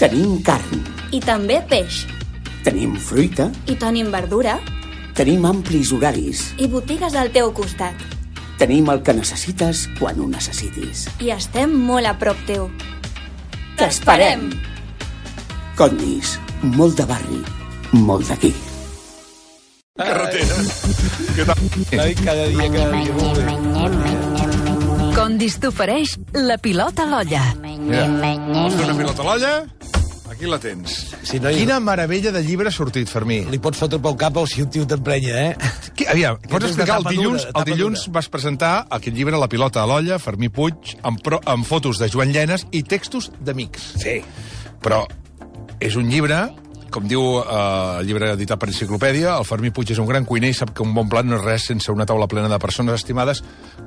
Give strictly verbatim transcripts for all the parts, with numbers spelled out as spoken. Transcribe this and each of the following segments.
Tenim carn. I també peix. Tenim fruita. I tenim verdura. Tenim amplis horaris. I botigues al teu costat. Tenim el que necessites quan ho necessitis. I estem molt a prop teu. T'esperem! Condis, molt de barri, molt d'aquí. Carretera. Què tal? Cada dia, cada dia. Condis t'ofereix la pilota a l'olla. Mira, vols fer una pilota a l'olla? Aquí la tens. Si no, Quina meravella de llibre ha sortit, Fermí. Li pots fotre pel cap o si un tio t'emprenya, eh? Qui, aviam, pots és de explicar? El tapa dilluns, dura, el dilluns tapa dura. vas presentar aquest llibre, La pilota a l'olla, Fermí Puig, amb, pro, amb fotos de Joan Llenes i textos d'amics. Sí. Però és un llibre, com diu eh, el llibre editat per Enciclopèdia, el Fermí Puig és un gran cuiner i sap que un bon plat no és res sense una taula plena de persones estimades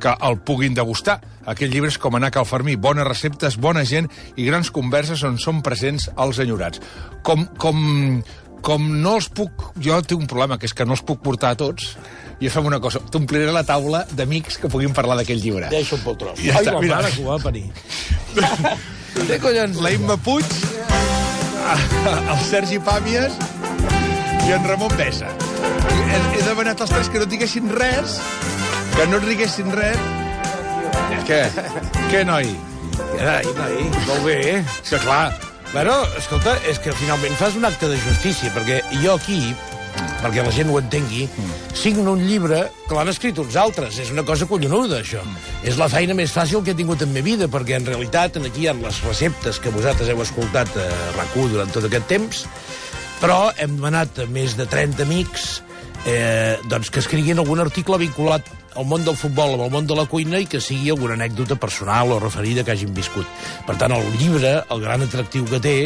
que el puguin degustar. Aquest llibre és com anar a Cal Fermí, bones receptes, bona gent i grans converses on són presents els enyorats. Com, com, com no els puc... Jo tinc un problema, que és que no els puc portar a tots, i fem una cosa, t'ompliré la taula d'amics que puguin parlar d'aquell llibre. Deixa un pel tros. Ja Ai, està, la mira. mare que ho va parir. Té collons. La Imma Puig, el Sergi Pàmies i en Ramon Bessa. He, he demanat als tres que no diguessin res, que no riguessin res. Què? Què, noi? Ai, noi, molt bé, eh? És que clar, Bueno, escolta, és que finalment fas un acte de justícia, perquè jo aquí, perquè la gent ho entengui, signo un llibre que l'han escrit uns altres. És una cosa collonuda, això. És la feina més fàcil que he tingut en la meva vida, perquè en realitat aquí hi ha les receptes que vosaltres heu escoltat a RAC u durant tot aquest temps, però hem demanat a més de trenta amics eh, doncs que escriguin algun article vinculat al món del futbol, amb el món de la cuina, i que sigui alguna anècdota personal o referida que hagin viscut. Per tant, el llibre, el gran atractiu que té,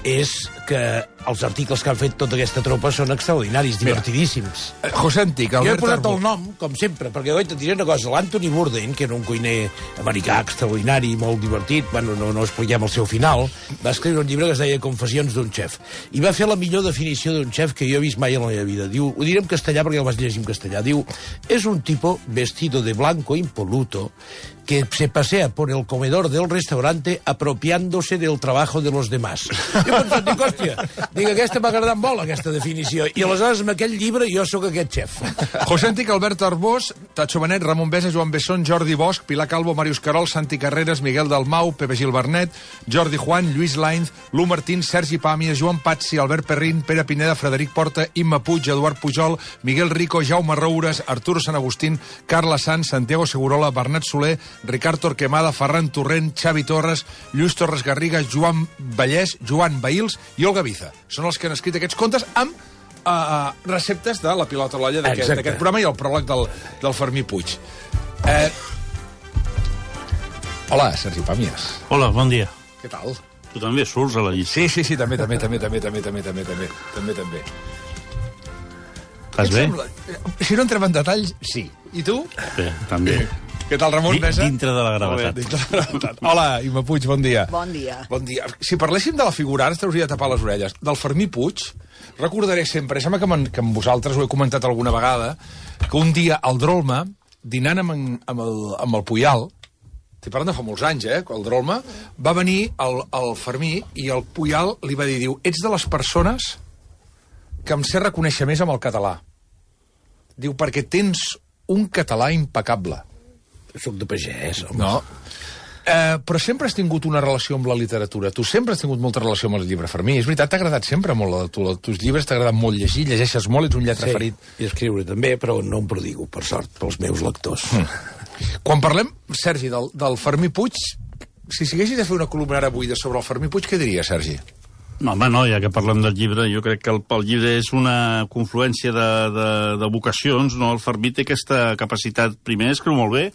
és que els articles que han fet tota aquesta tropa són extraordinaris, divertidíssims. José Antic, Jo he Albert posat el Arbó. nom, com sempre, perquè oi, te diré una cosa, l'Anthony Bourdain, que era un cuiner americà extraordinari, molt divertit, bueno, no, no expliquem el seu final, va escriure un llibre que es deia Confessions d'un xef, i va fer la millor definició d'un xef que jo he vist mai en la meva vida. Diu, ho diré en castellà perquè el vaig llegir en castellà, diu, és un tipo vestido de blanco impoluto que se pasea por el comedor del restaurante apropiándose del trabajo de los demás. Jo he pensat, dic, hòstia, dic, aquesta m'ha agradat molt, aquesta definició, i aleshores amb aquell llibre jo sóc aquest xef. José Antic, Albert Arbós, Tacho Benet, Ramon Besa, Joan Besson, Jordi Bosch, Pilar Calvo, Màrius Carol, Santi Carreras, Miguel Dalmau, Pepe Gil Bernet, Jordi Juan, Lluís Lainz, Lu Martín, Sergi Pàmies, Joan Patsi, Albert Perrín, Pere Pineda, Frederic Porta, Imma Puig, Eduard Pujol, Miguel Rico, Jaume Roures, Arturo Sant Agustín, Carla Sanz, Santiago Segurola, Bernat Soler, Ricard Torquemada, Ferran Torrent, Xavi Torres, Lluís Torres Garriga, Joan Vallès, Joan Bahils i Olga Biza. Són els que han escrit aquests contes amb uh, receptes de la pilota a l'olla d'aquest Exacte. programa i el pròleg del, del Fermí Puig. Eh... Hola, Sergi Pàmies. Hola, bon dia. Què tal? Tu també surts a la llista. Sí, sí, sí, també, també, també, també, també, també, també, també, també, també. Estàs bé? Si no entrem en detalls, sí. I tu? Bé, també. Què tal, Ramon Di- Besa? dintre de la gravetat. Molt bé, dintre de la gravetat. Hola, Imma Puig, bon dia. Bon dia. Bon dia. Si parléssim de la figura, ara t'hauria de tapar les orelles, del Fermí Puig, recordaré sempre, sembla que, que amb vosaltres ho he comentat alguna vegada, que un dia al Drolma, dinant amb, en, amb, el, amb el Puyal, estic parlant de fa molts anys, eh, el Drolma, va venir el, el Fermí i el Puyal li va dir, diu, ets de les persones que em sé reconèixer més amb el català. Diu, perquè tens un català impecable. Soc de pagès, home. No. Eh, però sempre has tingut una relació amb la literatura. Tu sempre has tingut molta relació amb el llibre, Fermí. És veritat, t'ha agradat sempre molt. A tu, els teus llibres t'ha agradat molt llegir, llegeixes molt, ets un lletre Sí, ferit. i escriure també, però no em prodigo, per sort, pels meus lectors. Mm. Quan parlem, Sergi, del, del Fermí Puig, si siguessis de fer una columna ara avui sobre el Fermí Puig, què diria, Sergi? No, home, no, ja que parlem del llibre, jo crec que el, el llibre és una confluència de, de, de vocacions, no? El Fermí té aquesta capacitat, primer, escriu molt bé,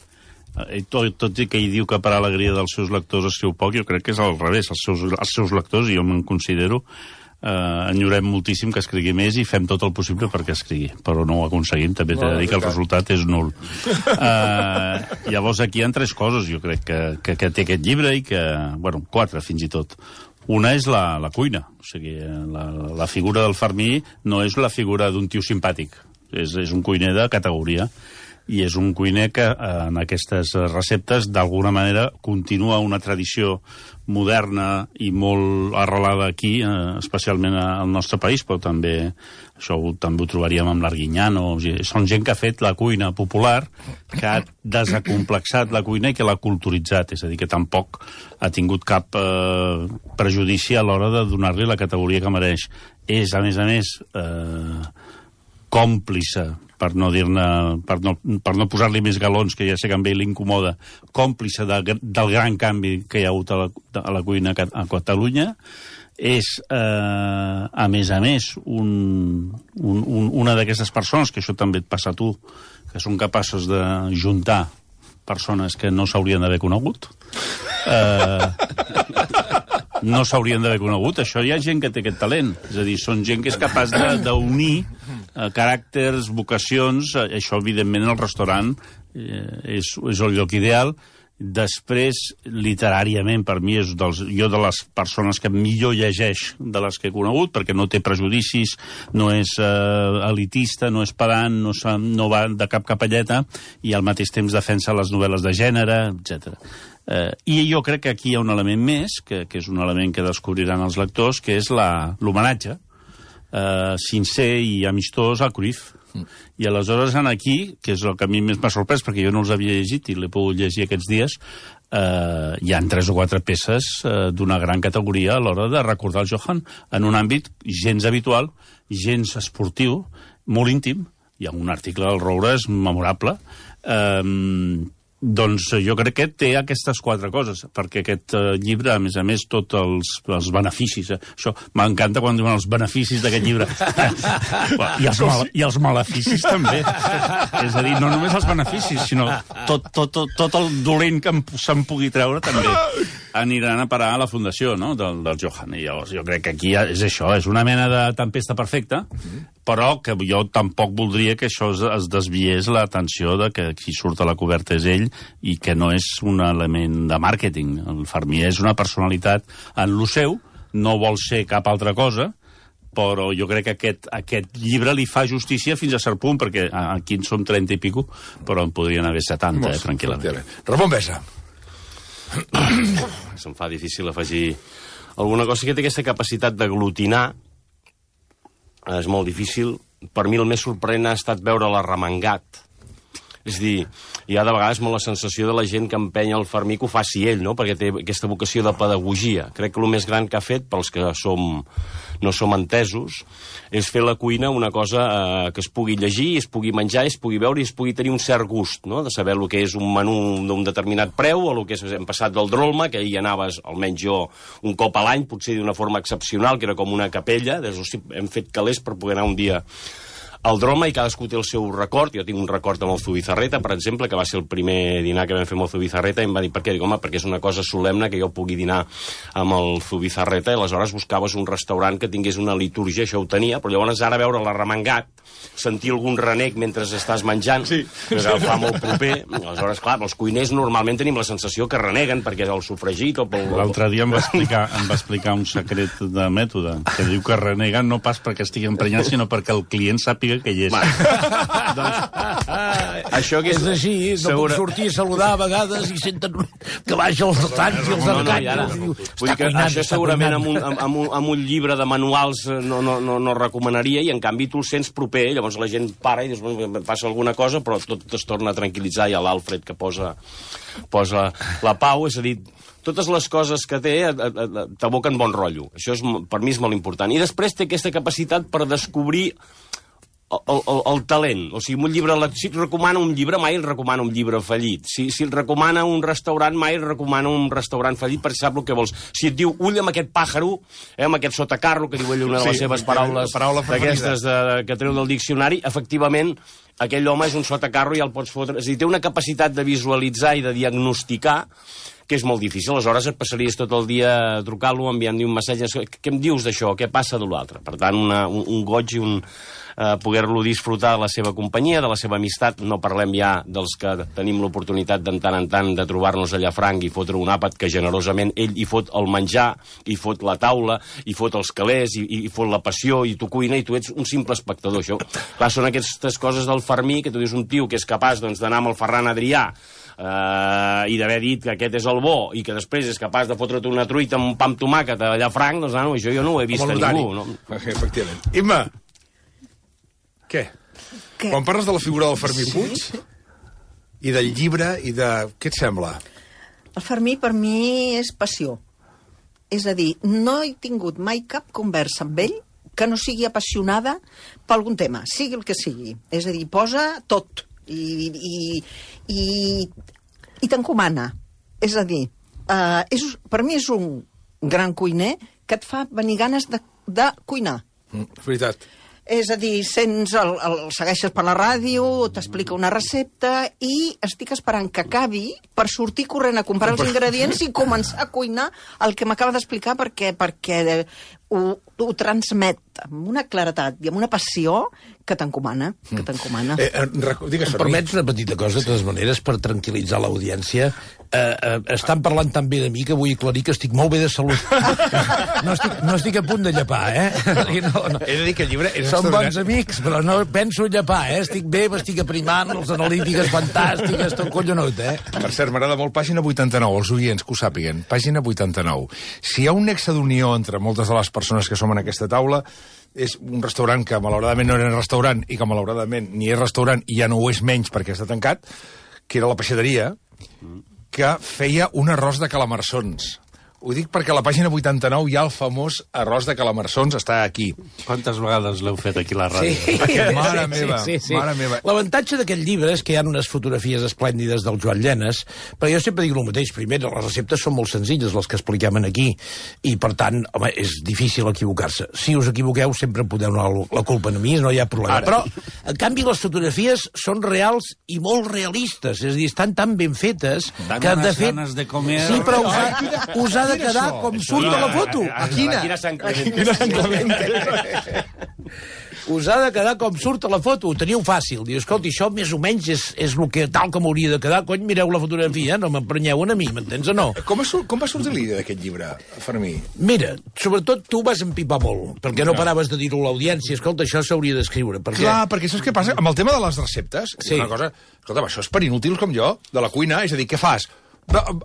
i tot, tot i que ell diu que per alegria dels seus lectors escriu poc, jo crec que és al revés, els seus, els seus lectors, i jo me'n considero, eh, enyorem moltíssim que escrigui més i fem tot el possible perquè escrigui, però no ho aconseguim, també t'he de dir que el resultat és nul. Eh, llavors aquí hi ha tres coses, jo crec, que, que, que té aquest llibre i que, bueno, quatre fins i tot. Una és la, la cuina, o sigui, la, la figura del Fermí no és la figura d'un tio simpàtic, és, és un cuiner de categoria. i és un cuiner que en aquestes receptes d'alguna manera continua una tradició moderna i molt arrelada aquí, eh, especialment al nostre país, però també això ho, també ho trobaríem amb l'Arguinyano. O sigui, són gent que ha fet la cuina popular, que ha desacomplexat la cuina i que l'ha culturitzat, és a dir, que tampoc ha tingut cap eh, prejudici a l'hora de donar-li la categoria que mereix. És, a més a més, eh, còmplice, per no dir-ne, per no, per no posar-li més galons, que ja sé que a ell l'incomoda, còmplice de, del gran canvi que hi ha hagut a la, a la cuina a Catalunya. És, eh, a més a més, un, un, un, una d'aquestes persones, que això també et passa a tu, que són capaços de juntar persones que no s'haurien d'haver conegut. Eh, no s'haurien d'haver conegut. Això hi ha gent que té aquest talent. És a dir, són gent que és capaç d'unir eh, caràcters, vocacions. Això, evidentment, el restaurant eh, és, és el lloc ideal. Després, literàriament, per mi, és dels, jo de les persones que millor llegeix de les que he conegut, perquè no té prejudicis, no és eh, elitista, no és pedant, no, no va de cap capelleta, i al mateix temps defensa les novel·les de gènere, etcètera. Eh, I jo crec que aquí hi ha un element més, que, que és un element que descobriran els lectors, que és l'homenatge eh, sincer i amistós a Cruyff. Mm. I aleshores aquí, que és el que a mi més m'ha sorprès, perquè jo no els havia llegit i l'he pogut llegir aquests dies, eh, hi ha tres o quatre peces eh, d'una gran categoria a l'hora de recordar el Johann en un àmbit gens habitual, gens esportiu, molt íntim. Hi ha un article del Roure, és memorable. Eh, doncs jo crec que té aquestes quatre coses, perquè aquest eh, llibre, a més a més, tots els, els beneficis, eh, això m'encanta quan diuen els beneficis d'aquest llibre. I, els mal, I els maleficis també. És a dir, no només els beneficis, sinó tot, tot, tot, tot el dolent que se'n pugui treure també aniran a parar a la fundació, no?, del, del Johann. I llavors jo crec que aquí és això, és una mena de tempesta perfecta, però que jo tampoc voldria que això es, es desviés l'atenció de que qui surt a la coberta és ell i que no és un element de màrqueting. El Fermier és una personalitat en lo seu, no vol ser cap altra cosa, però jo crec que aquest, aquest llibre li fa justícia fins a cert punt, perquè aquí en som trenta i pico, però en podrien haver setanta, eh, tranquil·lament. Ramon Besa. Se'm fa difícil afegir alguna cosa que té aquesta capacitat d'aglutinar. És molt difícil. Per mi el més sorprenent ha estat veure l'arremangat. És a dir, hi ha de vegades molt la sensació de la gent que empenya el Fermí que ho faci ell, no?, perquè té aquesta vocació de pedagogia. Crec que el més gran que ha fet, pels que som, no som entesos, és fer la cuina una cosa eh, que es pugui llegir, es pugui menjar, es pugui veure i es pugui tenir un cert gust, no?, de saber el que és un menú d'un determinat preu o el que és, hem passat del Drolma, que hi anaves, almenys jo, un cop a l'any, potser d'una forma excepcional, que era com una capella, des, hosti, hem fet calés per poder anar un dia al Droma, i cadascú té el seu record. Jo tinc un record amb el Zubizarreta, per exemple, que va ser el primer dinar que vam fer amb el Zubizarreta, i em va dir, per què? Dic, home, perquè és una cosa solemne que jo pugui dinar amb el Zubizarreta, i aleshores buscaves un restaurant que tingués una litúrgia, això ho tenia, però llavors ara veure l'arremangat, sentir algun renec mentre estàs menjant, sí, que sí, fa molt proper, aleshores, clar, els cuiners normalment tenim la sensació que reneguen perquè és el sofregit o pel... L'altre dia em va, explicar, em va explicar un secret de mètode, que diu que reneguen no pas perquè estigui emprenyat, sinó perquè el client sàpiga que hi és. doncs, això que és... És així, no segura... puc sortir a saludar a vegades i senten que baixa els retalls i els no, no, arcanyos. No, no, Vull dir que cuinant, això segurament amb un, amb, un, amb un llibre de manuals no, no, no, no recomanaria, i en canvi tu el sents proper, llavors la gent para i dius, bueno, passa alguna cosa, però tot es torna a tranquil·litzar. Hi ha l'Alfred que posa, posa la pau, és a dir, totes les coses que té t'aboquen bon rotllo. Això és, per mi és molt important. I després té aquesta capacitat per descobrir El, el, el talent. O sigui, un llibre, si et recomana un llibre, mai et recomana un llibre fallit. Si, si et recomana un restaurant, mai et recomana un restaurant fallit, perquè sap el que vols. Si et diu, ull amb aquest pàjaro, eh, amb aquest sotacarro, que diu ell una de les sí, seves paraules paraula d'aquestes de, que treu del diccionari, efectivament, aquell home és un sotacarro i el pots fotre... És a dir, té una capacitat de visualitzar i de diagnosticar que és molt difícil. Aleshores et passaries tot el dia trucant-lo, enviant-li un missatge, què em dius d'això, què passa de l'altre? Per tant, una, un, un goig i un... eh, poder-lo disfrutar de la seva companyia, de la seva amistat. No parlem ja dels que tenim l'oportunitat de tant en tant de trobar-nos a Llafranc i fotre un àpat que generosament ell hi fot el menjar, hi fot la taula, hi fot els calés, hi, hi fot la passió, i tu cuina, i tu ets un simple espectador. Això, clar, són aquestes coses del Fermí, que tu dius un tio que és capaç doncs, d'anar amb el Ferran Adrià eh, i d'haver dit que aquest és el bo, i que després és capaç de fotre't una truita amb un pa amb tomàquet a Llafranc, doncs no, això jo no ho he vist a ningú. No? Efectivament. Imma, què? Què? Quan parles de la figura del Fermí sí? Puig i del llibre i de... Què et sembla? El Fermí per mi és passió. És a dir, no he tingut mai cap conversa amb ell que no sigui apassionada per algun tema, sigui el que sigui. És a dir, posa tot i, i, i, i t'encomana. És a dir, uh, és, per mi és un gran cuiner que et fa venir ganes de, de cuinar. Mm, veritat. És a dir, sents el, el, el segueixes per la ràdio, t'explica una recepta i estic esperant que acabi per sortir corrent a comprar els ingredients i començar a cuinar el que m'acaba d'explicar perquè, perquè ho, ho transmet amb una claretat i amb una passió que t'encomana, que t'encomana. Eh, eh, digues, em permets una petita cosa, de totes maneres, per tranquil·litzar l'audiència. Eh, eh, estan parlant tan bé de mi que vull aclarir que estic molt bé de salut. No estic, no estic a punt de llepar, eh? No, no. He de dir que el llibre és Som bons amics, però no penso llepar, eh? Estic bé, m'estic aprimant, les analítiques fantàstiques, tot collonut, eh? Per cert, m'agrada molt pàgina vuitanta-nou, els oients que ho sàpiguen. Pàgina vuitanta-nou. Si hi ha un nexe d'unió entre moltes de les persones que som en aquesta taula, és un restaurant que malauradament no era restaurant i que malauradament ni és restaurant i ja no ho és menys perquè està tancat, que era la peixateria, que feia un arròs de calamarsons. Ho dic perquè a la pàgina vuitanta-nou hi ha el famós arròs de calamarsons, està aquí. Quantes vegades l'heu fet aquí a la ràdio? Sí, mare sí, meva, sí, sí. mare meva. L'avantatge d'aquest llibre és que hi ha unes fotografies esplèndides del Joan Llenes, però jo sempre dic el mateix. Primer, les receptes són molt senzilles, les que expliquem aquí, i per tant, home, és difícil equivocar-se. Si us equivoqueu, sempre podeu donar la culpa a mi, no hi ha problema. Ara. Però, en canvi, les fotografies són reals i molt realistes, és a dir, estan tan ben fetes Dan que, de fet... ganes de comer... Sí, però us ha, us ha de quedar com surt a la foto. A quina? Quina Sant Clemente. Quina Sant Clemente. Us ha de quedar com surt a la foto. Ho teniu fàcil. Diu, escolta, això més o menys és, és el que tal com hauria de quedar. Cony, mireu la fotografia, no m'emprenyeu a mi, m'entens o no? Com, va, com va sortir l'idea d'aquest llibre, Fermí? Mira, sobretot tu vas empipar molt, perquè no paraves de dir-ho a l'audiència. Escolta, això s'hauria d'escriure. Perquè... Clar, perquè saps què passa? Amb el tema de les receptes, sí. Una cosa... Escolta, això és per inútils com jo, de la cuina, és a dir, què fas?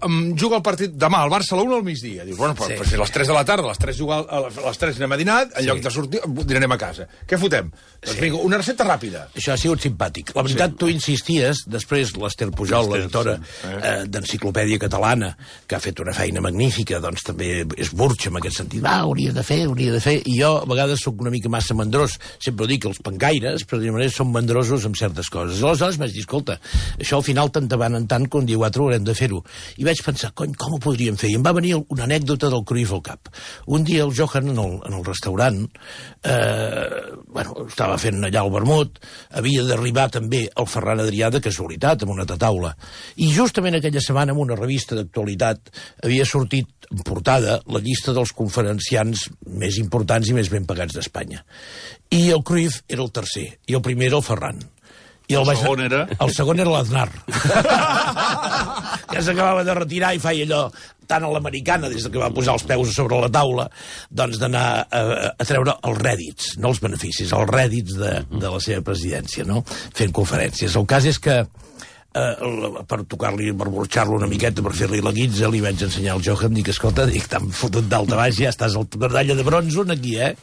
Um, juga el partit demà al Barça a l'una al migdia. Dius, bueno, però, sí. però si a les tres de la tarda, a les tres, juga, a les tres anem a dinar, en sí. lloc de sortir, dinarem a casa. Què fotem? Sí. Doncs vinga, una recepta ràpida. Això ha sigut simpàtic. La veritat, sí. tu insisties, després l'Ester Pujol, l'editora sí. eh, d'Enciclopèdia Catalana, que ha fet una feina magnífica, doncs també és burxa en aquest sentit. Va, hauria de fer, hauria de fer. I jo, a vegades, sóc una mica massa mandrós. Sempre dic que els pancaires, per dir-ho manera, són mandrosos amb certes coses. Aleshores vaig dir, escolta, això al final tant van en tant que un dia o altre haurem de fer-ho. I vaig pensar, cony, com ho podríem fer? I em va venir una anècdota del Cruyff al cap. Un dia el Johan, en el, en el restaurant, eh, bueno, estava fent allà el vermut, havia d'arribar també el Ferran Adrià de casualitat, amb una taula. I justament aquella setmana, en una revista d'actualitat, havia sortit en portada la llista dels conferenciants més importants i més ben pagats d'Espanya. I el Cruyff era el tercer, i el primer era el Ferran. I el, el segon era? El segon era l'Aznar. Que s'acabava de retirar i feia allò tant a l'americana, des que va posar els peus sobre la taula, doncs d'anar a, a treure els rèdits, no els beneficis, els rèdits de, de la seva presidència, no? Fent conferències. El cas és que eh, per tocar-li, per burxar-lo una miqueta, per fer-li la guitza, li vaig ensenyar al Johan, dic, escolta, dic, t'han fotut d'alta baix, ja estàs al medalla de bronze aquí, eh?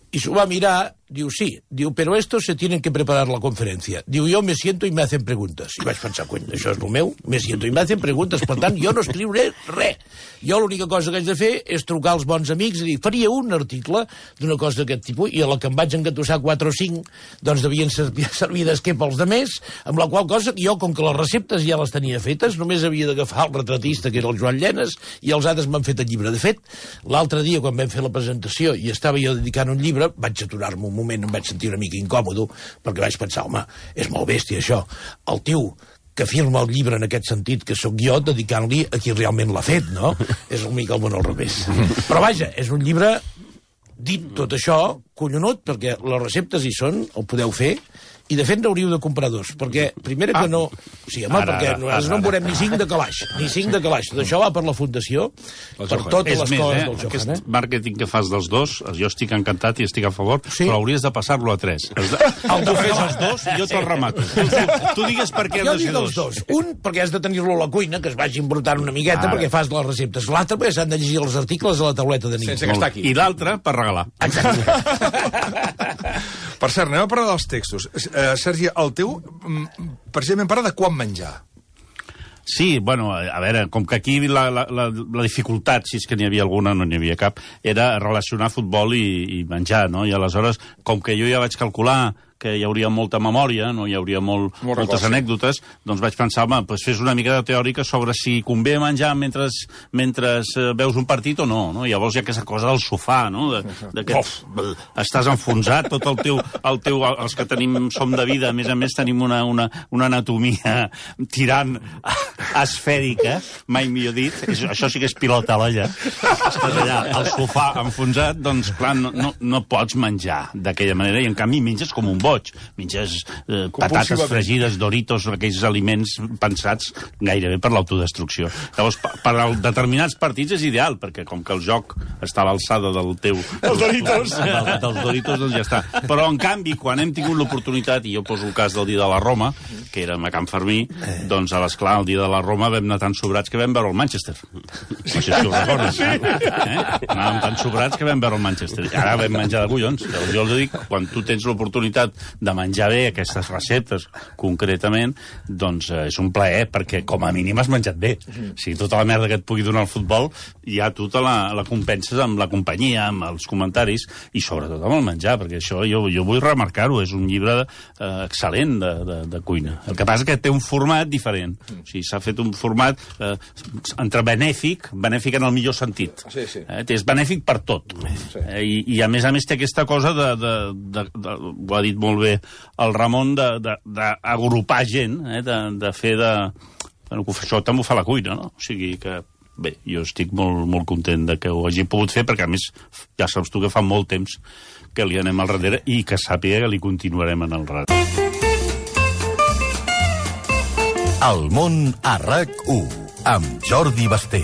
I s'ho va mirar, diu, sí, diu, però estos se tienen que preparar la conferència. Diu, jo me siento i me hacen preguntes. I vaig pensar, cony, això és el meu, me siento i me hacen preguntes, per tant, jo no escriuré res. Jo l'única cosa que haig de fer és trucar als bons amics i dir, faria un article d'una cosa d'aquest tipus, i a la que em vaig engatussar quatre o cinc, doncs devien servir, servir d'esquer pels demés, amb la qual cosa jo, com que les receptes ja les tenia fetes, només havia d'agafar el retratista, que era el Joan Llenes, i els altres m'han fet el llibre. De fet, l'altre dia, quan vam fer la presentació i estava jo dedicant un llibre, vaig aturar-me un moment, em vaig sentir una mica incòmodo, perquè vaig pensar, home, és molt bèstia això. El tio que firma el llibre en aquest sentit, que sóc jo, dedicant-li a qui realment l'ha fet, no? És una mica el món al revés. Però vaja, és un llibre dit tot això, collonut, perquè les receptes hi són, ho podeu fer, i de fet n'hauríeu de comprar dos, perquè, primera que no... O sigui, home, Ara, perquè ara, nosaltres ara, no en veurem ara. ni cinc de calaix, ni cinc de calaix. Tot això va per la Fundació, per Johan. totes És les més, coses eh? del Johan, Aquest eh? màrqueting que fas dels dos, jo estic encantat i estic a favor, Sí. però hauries de passar-lo a tres. Has de... Tu fes els dos i jo te'l remato. Tu, tu, tu digues per què Jo han de dic ser els dos. dos. Un, perquè has de tenir-lo a la cuina, que es vagi embrutant una miqueta, Ara. perquè fas les receptes. L'altre, perquè s'han de llegir els articles a la tauleta de nit. Sense gastar aquí. I l'altre, per regalar. Per cert, anem a parlar dels textos. Uh, Sergi, el teu, mm, precisament parla de quan menjar. Sí, bueno, a veure, com que aquí la, la, la, la dificultat, si és que n'hi havia alguna, no n'hi havia cap, era relacionar futbol i, i menjar, no? I aleshores, com que jo ja vaig calcular que hi hauria molta memòria, no hi hauria molt, Molt moltes record, sí. anècdotes, doncs vaig pensar, home, doncs fes una mica de teòrica sobre si convé menjar mentre, mentre eh, veus un partit o no, no? Llavors hi ha aquesta cosa del sofà, no? De, de que estàs enfonsat, tot el teu, el teu... Els que tenim, som de vida, a més a més tenim una, una, una anatomia tirant esfèrica, mai millor dit, és, això sí que és pilota a l'olla. Estàs allà, al sofà enfonsat, doncs clar, no, no, no pots menjar d'aquella manera, i en canvi menges com un boig. Menges eh, patates fregides, Doritos, aquells aliments pensats gairebé per l'autodestrucció. Llavors, per, per a determinats partits és ideal, perquè com que el joc està a l'alçada del teu... Els Doritos! Del, dels Doritos, doncs ja està. Però, en canvi, quan hem tingut l'oportunitat, i jo poso el cas del dia de la Roma, que érem a Can Fermí, doncs, a l'esclar, el dia de la Roma vam anar tan sobrats que vam veure el Manchester. No sé si ho recordes. Eh? Anàvem tan sobrats que vam veure el Manchester. Ara vam menjar de collons. Jo els dic, quan tu tens l'oportunitat de menjar bé aquestes receptes, concretament, doncs eh, és un plaer, perquè com a mínim has menjat bé. O sigui, tota la merda que et pugui donar el futbol, ja tu te la, la compenses amb la companyia, amb els comentaris, i sobretot amb el menjar, perquè això jo, jo vull remarcar-ho, és un llibre eh, excel·lent de, de, de cuina. El que passa és que té un format diferent. O sigui, s'ha fet un format eh, entre benèfic, benèfic en el millor sentit. Sí, sí. Eh, és benèfic per tot. Sí. Eh, i, I a més a més té aquesta cosa de, de, de, de ho ha dit molt bé el Ramon, d'agrupar gent, eh, de, de fer de... Bueno, això també ho fa la cuina, no? O sigui que, bé, jo estic molt, molt content de que ho hagi pogut fer, perquè a més, ja saps tu que fa molt temps que li anem al darrere i que sàpiga que li continuarem en el darrere. El món a RAC u, amb Jordi Basté.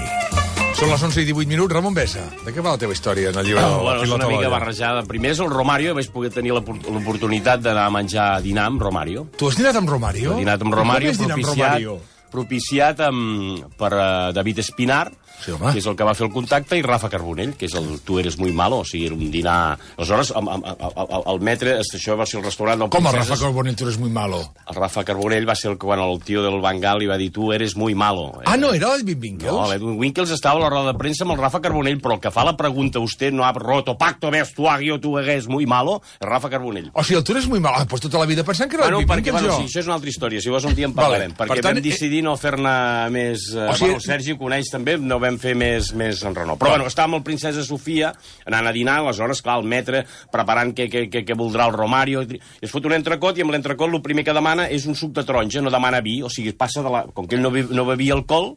Són les onze i divuit minuts. Ramon Bessa, de què va la teva història en el llibre? Oh, de la bueno, és pilota una mica d'olla? barrejada. Primer és el Romario, vaig poder tenir l'opor- l'oportunitat d'anar a menjar a dinar amb Romario. Tu has dinat amb Romario? He dinat amb Romario, Com és dinar amb propiciat, Romario? propiciat amb, per uh, David Espinar, Sí, home. que és el que va fer el contacte, i Rafa Carbonell, que és el Tu eres muy malo, o sigui, era un dinar... Aleshores, el, el, el, el metre, això va ser el restaurant del Com el Princeses. Rafa Carbonell, tu eres muy malo? El Rafa Carbonell va ser el que quan el tio del Bangal li va dir tu eres muy malo. Ah, no, era l'Edwin Winkels? No, l'Edwin Winkels estava a la roda de premsa amb el Rafa Carbonell, però el que fa la pregunta, usted no ha roto pacto vestuario, tu eres muy malo, és Rafa Carbonell. O sigui, el tu eres muy malo. Ah, pues tota la vida pensant que era Bueno, l'Edwin perquè, Winkels, bueno, jo. sí, això és una altra història. Si vols un dia en Vale, parlarem. per Perquè tant, vam decidir no fer-ne més... Eh, O sigui- bueno, el Sergi ho coneix també, no vam fer més, més en renou. Però bueno, estàvem amb el Princesa Sofia, anant a dinar, aleshores, clar, el metre, preparant què, què, què, què voldrà el Romario, i es fot un entrecot, i amb l'entrecot el primer que demana és un suc de taronja, no demana vi, o sigui, passa de la... Com que ell no, be, no bevia alcohol,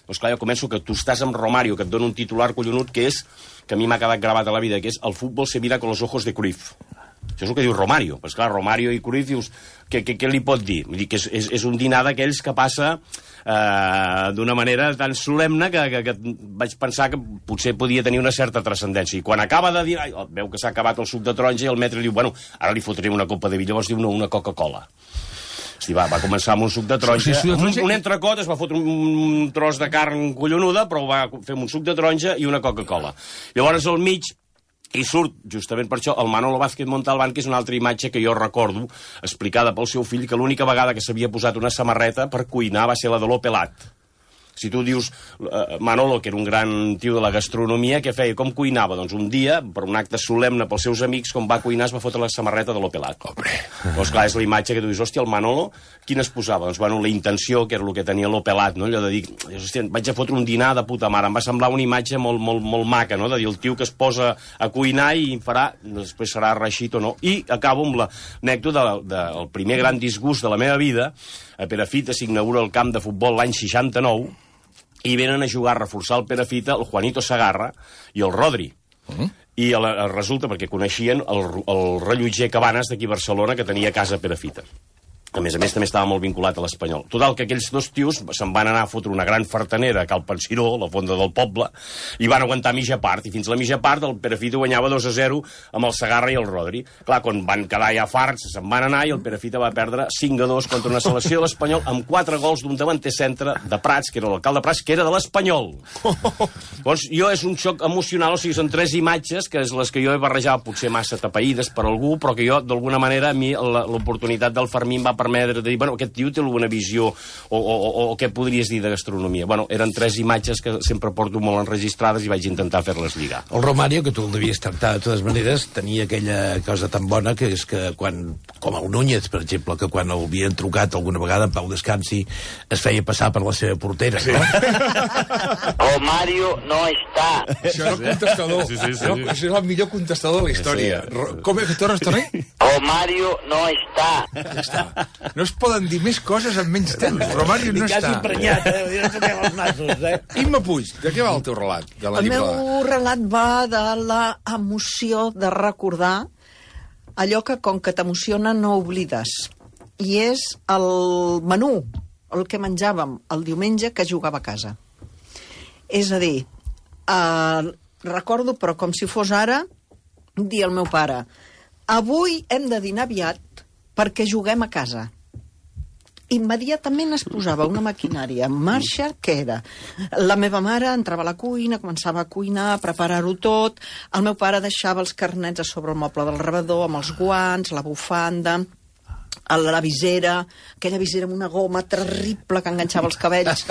doncs clar, jo començo que tu estàs amb Romario, que et dona un titular collonut, que és, que a mi m'ha quedat gravat a la vida, que és el futbol se mira con los ojos de Cruyff. Això és el que diu Romario. Pues clar, Romario i Cruyff, dius, què, què, què li pot dir? Vull dir que és, és, és un dinar d'aquells que passa eh, d'una manera tan solemne que, que, que vaig pensar que potser podia tenir una certa transcendència. I quan acaba de dir, ai, veu que s'ha acabat el suc de taronja, i el metre diu, bueno, ara li fotré una copa de vi. Llavors diu, no, una Coca-Cola. Sí, va, va començar amb un suc de taronja. Sí, suc de taronja. Un, un entrecot, es va fotre un, un tros de carn collonuda, però va fer un suc de taronja i una Coca-Cola. Llavors, al mig, i surt, justament per això, el Manolo Vázquez Montalbán, que és una altra imatge que jo recordo, explicada pel seu fill, que l'única vegada que s'havia posat una samarreta per cuinar va ser la de l'Opelat. Si tu dius, uh, Manolo, que era un gran tio de la gastronomia, què feia? Com cuinava? Doncs un dia, per un acte solemne pels seus amics, com va cuinar, es va fotre la samarreta de l'Opelat. Hombre. Doncs clar, és la imatge que tu dius, hòstia, el Manolo, quina es posava? Doncs, bueno, la intenció, que era el que tenia l'Opelat, no? Allò de dir, hòstia, vaig a fotre un dinar de puta mare. Em va semblar una imatge molt, molt, molt maca, no? De dir, el tio que es posa a cuinar i farà, després serà reixit o no. I acabo amb l'anècdota del de, de, primer gran disgust de la meva vida. A Perafita s'inaugura el camp de futbol l'any seixanta-nou, i venen a jugar, a reforçar el Perafita, el Juanito Segarra i el Rodri. Mm. I el, resulta, perquè coneixien el, el rellotger Cabanes d'aquí a Barcelona, que tenia casa a Perafita. A més a més, també estava molt vinculat a l'Espanyol. Total, que aquells dos tios se'n van anar a fotre una gran fartanera a Cal Pensiró, la fonda del poble, i van aguantar mitja part, i fins a la mitja part el Perafita guanyava dos a zero amb el Segarra i el Rodri. Clar, quan van quedar ja farts, se'n van anar, i el Perafita va perdre cinc a dos contra una selecció de l'Espanyol amb quatre gols d'un davanter centre de Prats, que era l'alcalde Prats, que era de l'Espanyol. Llavors, jo és un xoc emocional, o sigui, són tres imatges, que és les que jo he barrejat potser massa tapaïdes per algú, però que jo, d'alguna manera, a mi l'oportunitat del Fermín va permetre de dir, bueno, aquest tio té alguna visió, o, o, o, o què podries dir de gastronomia? Bueno, eren tres imatges que sempre porto molt enregistrades i vaig intentar fer-les lligar. El Romario, que tu el devies tractar de totes maneres, tenia aquella cosa tan bona que és que quan, com el Núñez, per exemple, que quan el havien trucat alguna vegada en Pau Descansi, es feia passar per la seva portera, no? Romario no està. Això era el contestador. Sí, sí, sí. No, això era el millor contestador de la història. Sí. Com és que tornes, torni? Romario no està. Ja està. No es poden dir més coses en menys temps. Romario no està. Quasi emprenyat, eh? No toquem els nassos, eh? Imma Puig, de què va el teu relat? De la el llibrada? meu relat va de la emoció de recordar allò que, com que t'emociona, no oblides. I és el menú, el que menjàvem el diumenge que jugava a casa. És a dir, eh, recordo, però com si fos ara, dir al meu pare, avui hem de dinar aviat perquè juguem a casa. Immediatament es posava una maquinària en marxa, que era la meva mare entrava a la cuina, començava a cuinar, a preparar-ho tot, el meu pare deixava els carnets a sobre el moble del rebedor, amb els guants, la bufanda, la visera, aquella visera amb una goma terrible que enganxava els cabells.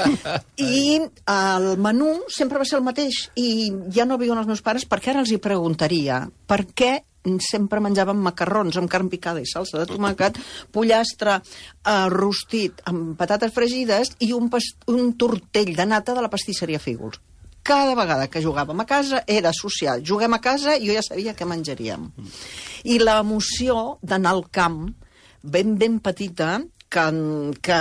I el menú sempre va ser el mateix, i ja no viuen els meus pares, perquè ara els hi preguntaria per què sempre menjàvem macarrons amb carn picada i salsa de tomàquet, pollastre eh, rostit amb patates fregides i un, un tortell de nata de la pastisseria Fígols. Cada vegada que jugàvem a casa era social. Juguem a casa i jo ja sabia què menjaríem. I l'emoció d'anar al camp, ben, ben petita, que, que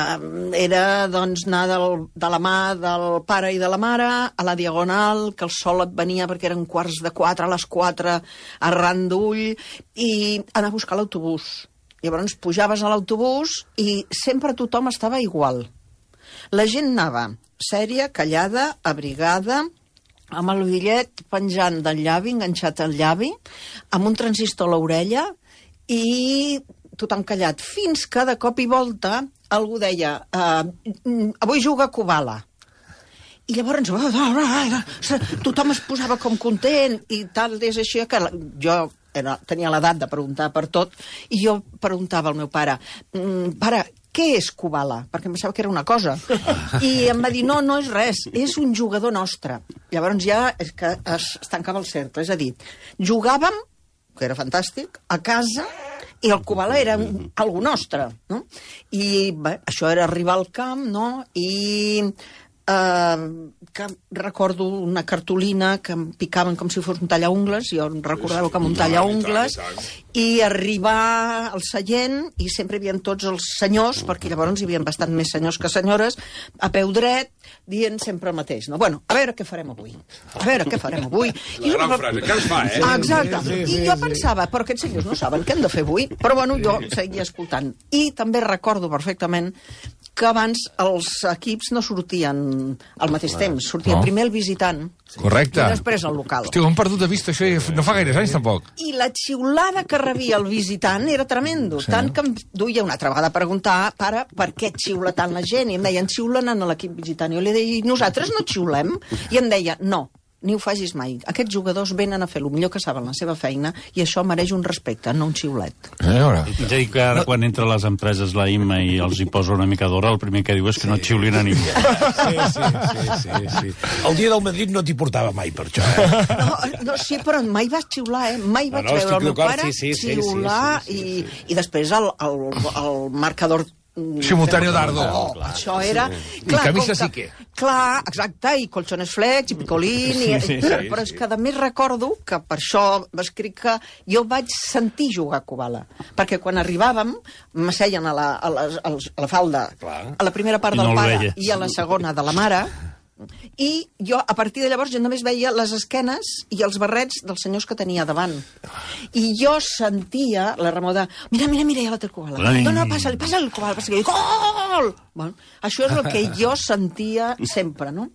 era doncs, anar del, de la mà del pare i de la mare a la Diagonal, que el sol et venia perquè eren quarts de quatre, a les quatre, arran d'ull, i anar a buscar l'autobús. Llavors pujaves a l'autobús i sempre tothom estava igual. La gent anava sèria, callada, abrigada, amb el bitllet penjant del llavi, enganxat al llavi, amb un transistor a l'orella i tothom callat, fins que de cop i volta algú deia eh, avui juga a Kubala. I llavors tothom es posava com content i tal, és així que jo era, tenia l'edat de preguntar per tot i jo preguntava al meu pare, pare, què és Kubala? Perquè em pensava que era una cosa. I em va dir, no, no és res, és un jugador nostre. Llavors ja és que es, es tancava el cercle, és a dir, jugàvem, que era fantàstic, a casa, i el Kubala era un, algo nostre, no? I bé, això era arribar al camp, no? I eh, que recordo una cartolina que em picaven com si fos un tallaungles, jo recordava com un tallaungles, i arribar al seient, i sempre hi havia tots els senyors, perquè llavors hi havia bastant més senyors que senyores, a peu dret, dient sempre el mateix, no? Bueno, a veure què farem avui. A veure què farem avui. La I gran frase, què es fa, eh? Exacte. I jo pensava, però aquests senyors no saben què hem de fer avui, però bueno, jo seguia escoltant. I també recordo perfectament que abans els equips no sortien al mateix temps. Sortia no. primer el visitant Correcte. i després el local. Hòstia, ho hem perdut de vista, això no fa gaires anys, tampoc. I la xiulada que rebia el visitant era tremendo, sí. Tant que em duia una altra vegada a preguntar, pare, per què xiula tant la gent? I em deien, xiulen en l'equip visitant. I jo li deia, nosaltres no xiulem? I em deia, no, ni ho facis mai. Aquests jugadors venen a fer el millor que saben la seva feina i això mereix un respecte, no un xiulet. Eh, és a dir, que ara no. Quan entra a les empreses la Imma i els hi posa una mica d'hora, el primer que diu és que sí. No xiulin a ningú. Sí, sí, sí, sí, sí. El dia del Madrid no t'hi portava mai per això, eh? No, no, sí, però mai vas xiular, eh? Mai vaig no, no, veure el meu pare sí, sí, xiular sí, sí, sí, sí, sí. I, i després el, el, el marcador simultáneo d'Ardo. Oh, clar, això era... Sí. Clar, I camisa sí que... Clar, exacte, i colchones flex, i picolín... I, sí, sí, sí, però és que a més recordo que per això m'escric que jo vaig sentir jugar a Kubala. Perquè quan arribàvem, m'asseien a la, a, la, a la falda, clar. A la primera part del no pare i a la segona de la mare, I jo, a partir de llavors, jo només veia les esquenes i els barrets dels senyors que tenia davant. I jo sentia la remor de mira, mira, mira, ja la té el Koala. No, no, passa-li, passa-li el Koala, passa-li. Gol! Bueno, això és el que jo sentia sempre, no?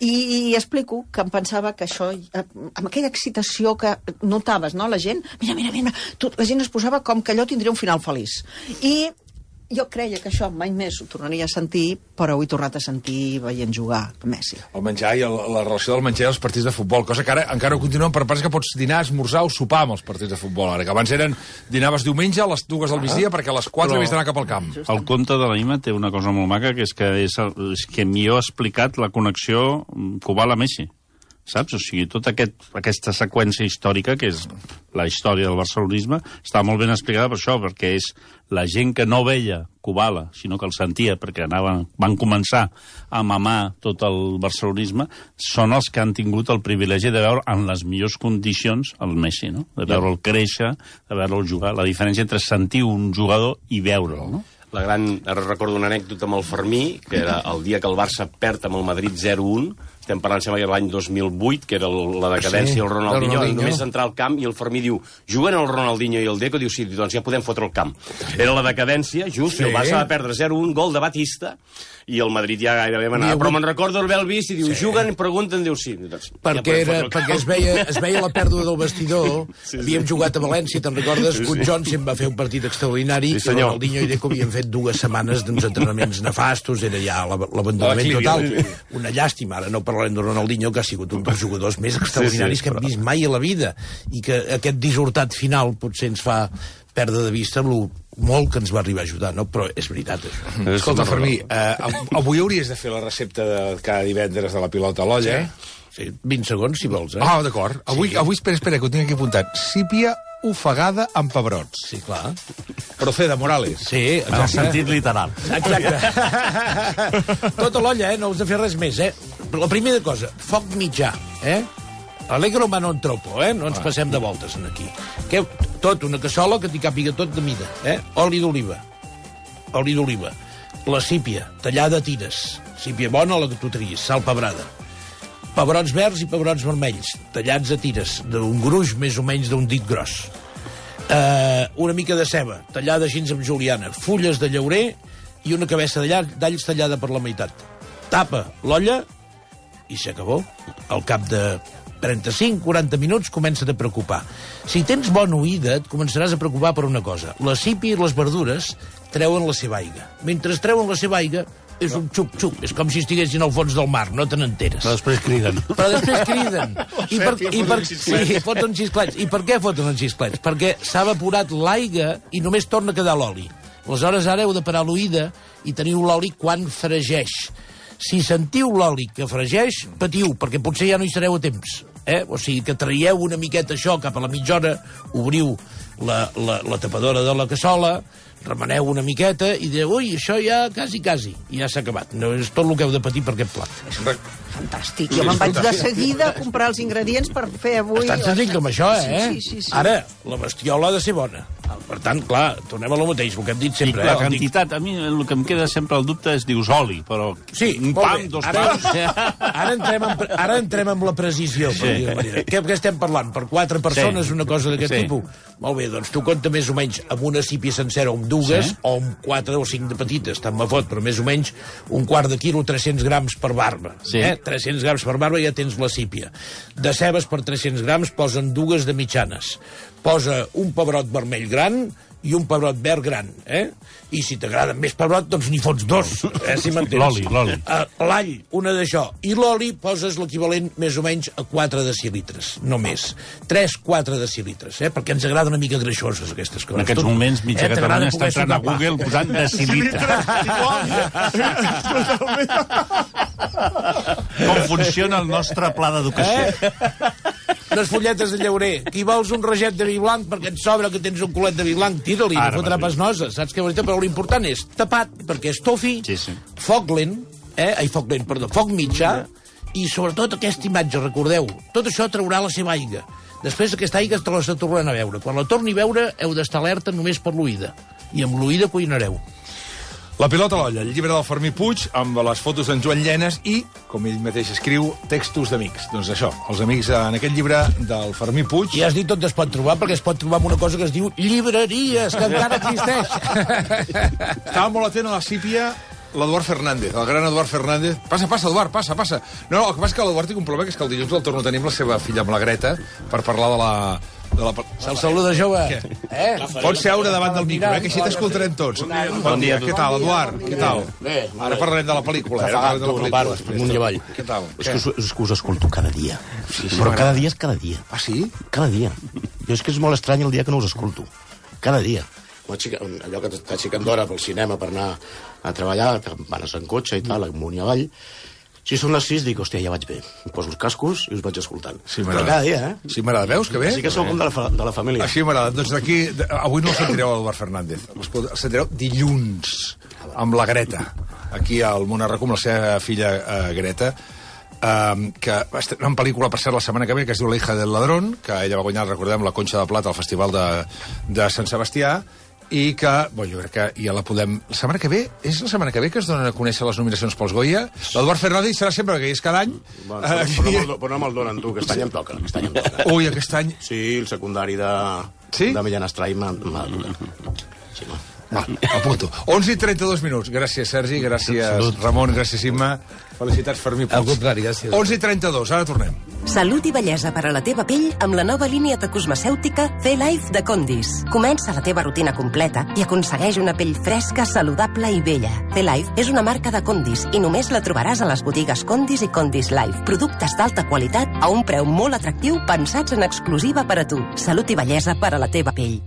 I, i explico que em pensava que això, amb aquella excitació que notaves, no?, la gent, mira, mira, mira, tot, la gent es posava com que allò tindria un final feliç. I jo creia que això mai més ho tornaria a sentir, però ho he tornat a sentir veient jugar a Messi. El menjar i el, la relació del menjar i els partits de futbol, cosa que ara encara ho continuen, per part que pots dinar, esmorzar o sopar amb els partits de futbol. Ara que abans eren, dinaves diumenge a les dues del migdia perquè a les quatre havies d'anar cap al camp. El conte de l'Ima té una cosa molt maca, que és que, és, és que millor ha explicat la connexió Kubala-Messi. Saps? O sigui, tota aquest, aquesta seqüència històrica, que és la història del barcelonisme, està molt ben explicada per això, perquè és la gent que no veia Kubala, sinó que el sentia, perquè anaven, van començar a mamar tot el barcelonisme, són els que han tingut el privilegi de veure en les millors condicions el Messi, no? De veure'l créixer, de veure'l jugar. La diferència entre sentir un jugador i veure'l, no? La gran... Ara recordo una anècdota amb el Fermí, que era el dia que el Barça perd amb el Madrid zero un, estem parlant, sembla que era l'any dos mil vuit, que era la decadència del sí, Ronaldinho, Ronaldinho, només entrar al camp i el Fermí diu, juguen el Ronaldinho i el Deco, diu, sí, doncs ja podem fotre el camp. Era la decadència, just, sí. El Barça va perdre zero un, gol de Batista, i el Madrid ja gairebé manava. Però me'n recordo haver vist i diu, sí. Juguen i pregunten, diu, sí. Doncs, perquè ja era, perquè es veia, es veia la pèrdua del vestidor, sí, sí. Havíem jugat a València, te'n recordes? Sí, sí. Good Johnson va fer un partit extraordinari, sí, i Ronaldinho i Deco havien fet dues setmanes d'uns entrenaments nefastos, era ja l'abandonament total. Una llàstima, ara no parlarem de Ronaldinho, que ha sigut un dels jugadors més extraordinaris sí, sí, que hem però... vist mai a la vida, i que aquest dissortat final potser ens fa perdre de vista el molt que ens va arribar a ajudar, no? Però és veritat, això. Escolta, Fermí, eh, avui hauries de fer la recepta de cada divendres de la pilota a l'olla, eh? Sí, vint segons, si vols, eh? Ah, d'acord. Avui, sí. avui, espera, espera, que ho tinc aquí apuntat. Sípia ofegada amb pebrots. Sí, clar. Proceda, Morales. Sí, en el sentit literal. Exacte. Tota l'olla, eh? No us de fer res més, eh? La primera cosa, foc mitjà, eh? Allegro ma non troppo, eh? No ens passem de voltes en aquí. Que, tot, una cassola que t'hi càpiga tot de mida, eh? Oli d'oliva. Oli d'oliva. La sípia, tallada a tires. Sípia bona, la que tu tries, sal pebrada. Pebrots verds i pebrots vermells, tallats a tires, d'un gruix més o menys d'un dit gros. Uh, una mica de ceba, tallada així amb juliana. Fulles de llaurer i una cabeça d'alls tallada per la meitat. Tapa l'olla i s'acabó. Al cap de trenta-cinc a quaranta minuts comença a preocupar. Si tens bona oïda, et començaràs a preocupar per una cosa. La sípia i les verdures treuen la seva aigua. Mentre treuen la seva aigua, és un xup-xup. És com si estiguessin al fons del mar, no te n'enteres. Però després criden. Però després criden. I per, i per, sí, foten xisclets. I per què foten els xisclets? Perquè s'ha evaporat l'aigua i només torna a quedar l'oli. Aleshores, ara heu de parar l'oïda i teniu l'oli quan fregeix. Si sentiu l'oli que fregeix, patiu, perquè potser ja no hi sereu a temps. Eh? O sigui, que traieu una miqueta això cap a la mitja hora, obriu la, la, la tapadora de la cassola, remeneu una miqueta i dieu, ui, això ja quasi, quasi, i ja s'ha acabat. No és tot el que heu de patir per aquest plat. És fantàstic. Jo me'n vaig de seguida a comprar els ingredients per fer avui... És tan senzill com això, eh? Sí, sí, sí, sí. Ara, la bestiola ha de ser bona. Per tant, clar, tornem a lo mateix, el que hem dit sempre. I la eh? quantitat, a mi el que em queda sempre el dubte és, dius, oli, però sí, un pam, dos ara, pams... Ara entrem, en, ara entrem amb la precisió, per sí. dir manera. Què, què estem parlant? Per quatre persones, sí. una cosa d'aquest sí. tipus? Molt bé, doncs tu compta més o menys amb una sípia sencera o amb dues, sí. o amb quatre o cinc de petites, tant me fot, però més o menys un quart de quilo, tres-cents grams per barba. Sí. Eh? tres-cents grams per barba ja tens la sípia. De cebes per tres-cents grams posen dues de mitjanes. Posa un pebrot vermell gran i un pebrot verd gran, eh? I si t'agrada més pebrot, doncs n'hi fots dos, eh? Si m'entens. L'oli, l'oli. Uh, l'all, una d'això. I l'oli poses l'equivalent més o menys a quatre decilitres, no més. tres quatre decilitres, eh? Perquè ens agrada una mica greixoses, aquestes coses. En aquests moments, mitja eh, Catalunya està entrant a Google posant decilitres. Com funciona el nostre pla d'educació. Eh? Les folletes de llaurer. Qui vols un raget de vi blanc perquè et sobra que tens un culet de vi blanc, tira-li, no fotrà pas nosa, saps què? Però l'important és tapat, perquè és tofi, sí, sí. foc lent, eh? Ai, foc lent, perdó, foc mitjà, i sobretot aquesta imatge, recordeu, tot això traurà la seva aigua. Després aquesta aigua te la tornaran a veure. Quan la torni a veure, heu d'estar alerta només per l'oïda. I amb l'oïda cuinareu. La pilota a l'olla, el llibre del Fermí Puig, amb les fotos d'en Joan Llenes i, com ell mateix escriu, textos d'amics. Doncs això, els amics en aquest llibre del Fermí Puig... I has dit on es pot trobar, perquè es pot trobar amb una cosa que es diu llibreries, que encara existeix. Estava molt atent a la sípia l'Eduard Fernández, el gran Eduard Fernández. Passa, passa, Eduard, passa, passa. No, no, el que passa és que l'Eduard té un problema, que és que el dilluns el torno a tenir amb la seva filla, amb la Greta, per parlar de la... De la... Se'l saluda, jove. Eh? Pots seure davant del micro, eh? Que així t'escoltarem tots. Bon dia. Què tal, Eduard? Què tal? Ara parlarem de la pel·lícula. Ara parlarem de la pel·lícula. Amunt i avall. Què tal? És que us, és que us escolto cada dia. Però cada dia és cada dia. Ah, sí? Cada dia. Jo és que és molt estrany el dia que no us escolto. Cada dia. Allò que t'aixequen d'hora pel cinema per anar a treballar, van en cotxe i tal, amunt i avall. Si són les sis, dic, hòstia, ja vaig bé. Em poso els cascos i us vaig escoltant. Sí, però cada dia, eh? Sí, m'agrada. Veus que bé? Sí que sou com de la, de la família. Així m'agrada. Doncs d'aquí... Avui no el sentireu a l'Eduard Fernández. El sentireu dilluns, amb la Greta. Aquí al Món Arracú, amb la seva filla uh, Greta, um, que va estar una pel·lícula, per cert, la setmana que ve, que es diu La hija del ladrón, que ella va guanyar, recordem, la Conxa de Plata al Festival de, de Sant Sebastià, i que, bueno, jo crec que ja la podem... La setmana que ve, és la setmana que ve que es donen a conèixer les nominacions pels Goya. L'Eduard Fernández serà sempre, perquè és cada any. Bueno, però, uh, però, no, però no me'l donen, tu, que aquest any em toca. Aquest any em toca. Ui, aquest any... Sí, el secundari de... Sí? De Millán Astray m'ha tocat. Sí, no. Va, apunto. onze i trenta-dos minuts. Gràcies, Sergi, gràcies, Salut. Ramon, gràcies, Imma. Felicitats, Fermí Puig. Al contrari, gràcies. onze i trenta-dos, ara tornem. Salut i bellesa per a la teva pell amb la nova línia de cosmecèutica C-Life de Condis. Comença la teva rutina completa i aconsegueix una pell fresca, saludable i bella. C-Life és una marca de Condis i només la trobaràs a les botigues Condis i Condis Life. Productes d'alta qualitat a un preu molt atractiu pensats en exclusiva per a tu. Salut i bellesa per a la teva pell.